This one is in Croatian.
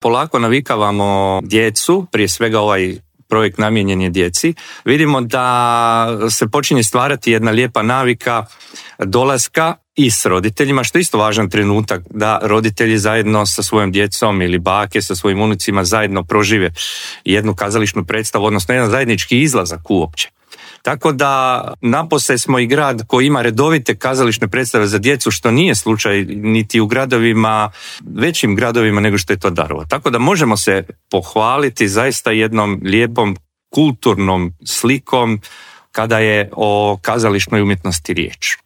polako navikavamo djecu, prije svega ovaj projekt namijenjen je djeci, vidimo da se počinje stvarati jedna lijepa navika dolaska i s roditeljima, što je isto važan trenutak da roditelji zajedno sa svojom djecom ili bake sa svojim unucima zajedno prožive jednu kazališnu predstavu, odnosno jedan zajednički izlazak uopće. Tako da napose smo i grad koji ima redovite kazališne predstave za djecu, što nije slučaj niti u gradovima, većim gradovima nego što je to Daruvar. Tako da možemo se pohvaliti zaista jednom lijepom kulturnom slikom kada je o kazališnoj umjetnosti riječ.